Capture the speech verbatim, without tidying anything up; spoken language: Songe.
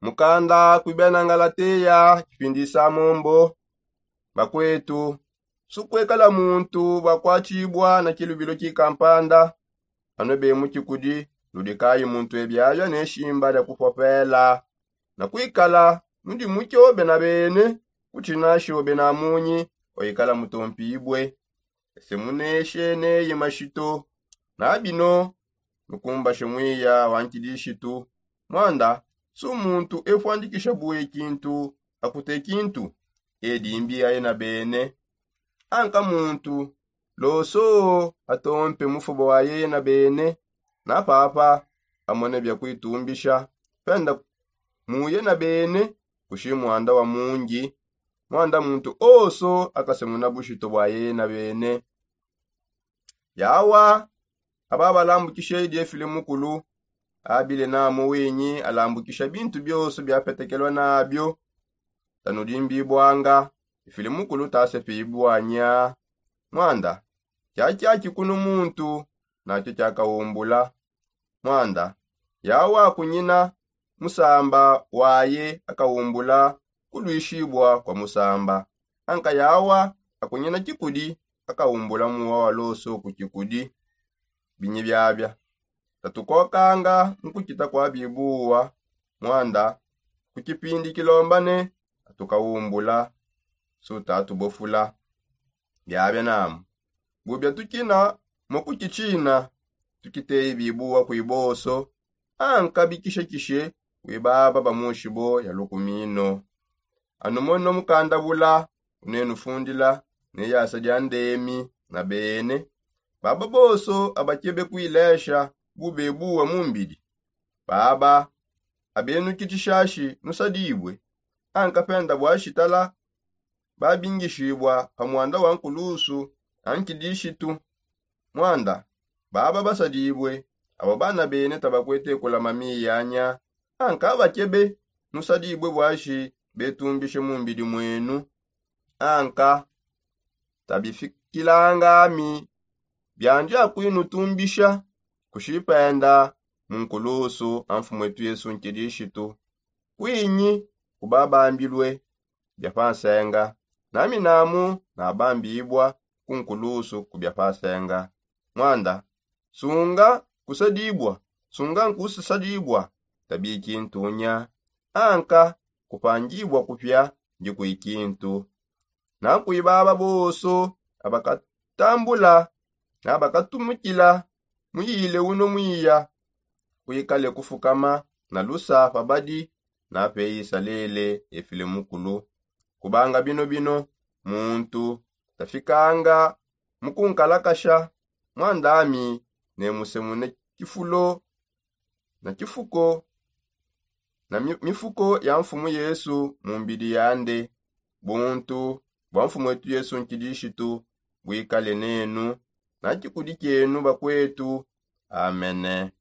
Mukanda kuibena ngalateya kipindisa mombo. Bakwetu, sukwekala muntu bakwatibua na kilubilo kikampanda. Ano be mu kikudi, nudi kayi muntu ebiabia ne shimba dia kupopela na kuikala nudi mutio bena bene. Kuti nasho bena munyi waikala mutompibue. Ese muneshe neye mashito na bino nukumbashe mwiya wa nkidishitu. Mwanda su muntu efuandikisha bue kintu akute kintu. Edi mbi aye na bene. Anka muntu loso atompe mufuba wa yeye na bene na papa amone bia kuitumbisha penda muye na bene. Kushi mwanda wa mungi mwanda muntu oso akasemuna bushito bwa yeye na bene. Yawa aba balambukishe diefile mukulu abile namu winyi alambukisha bintu bioso biapetekelwa nabio. Tanudimbibwanga ifile mukulu tasepibwanya. Mwanda kiakiaki kunu muntu nakio kiakaumbula. Mwanda yawa kunyina musamba waye akaumbula kuluishibua kua musamba. Anka yawa akunyina kikudi akaumbula muwa wa loso ku kikudi. Binyi biabia tatukokanga mu kukita kua bibuwa. Mwanda ku kipindi kilombane atukaumbula sutatubofula. Biabia namu bubia tukina mu kukitshina tukiteyi bibuwa kuiboso. Anka bikishekishe kuibaba bamushibo ya lukumino. Anu mono mukandabula unenufundila ne yasa dia ndemi na bene. Baba boso abakebe kuilesha bube buwa mu mbidi baba abenukitshishashi nusadibue. Anka penda bua shitala babingishibua pa mwanda wa nkulusu a nkidishitu. Mwanda baba basadibue abo bana bene tabakuete kulama miyanya. Anka bakebe nusadibue buashi betumbishe mu mbidi mwenu. Anka tabifikilangami biandi akuinutumbisha kushipenda mu nkulusu a mfumu etu yesu nkidishitu. Kuinyi kubabambilue bia pa nsenga nami namu nabambibua ku nkulusu ku bia pa nsenga. Mwanda sunga kusadibua sunga nkusasadibua tabikintunya. Anka kupangibua kupia ndikuikintu. Nakuibaba boso abakatambula nabakatumukila muyile uno mwiya kuikale kufukama na lusa pa badi na pe isalele efile mukulu. Kubanga bino bino muntu tafikanga mukunkalakasha mwandami ne musemune kifulo na kifuko na mifuko ya mfumu yesu mu mbidi yande. Buntu bwa mfumu wetu yesu nkidishitu bwikale nenu na kikudi kienu bakwetu. Amene.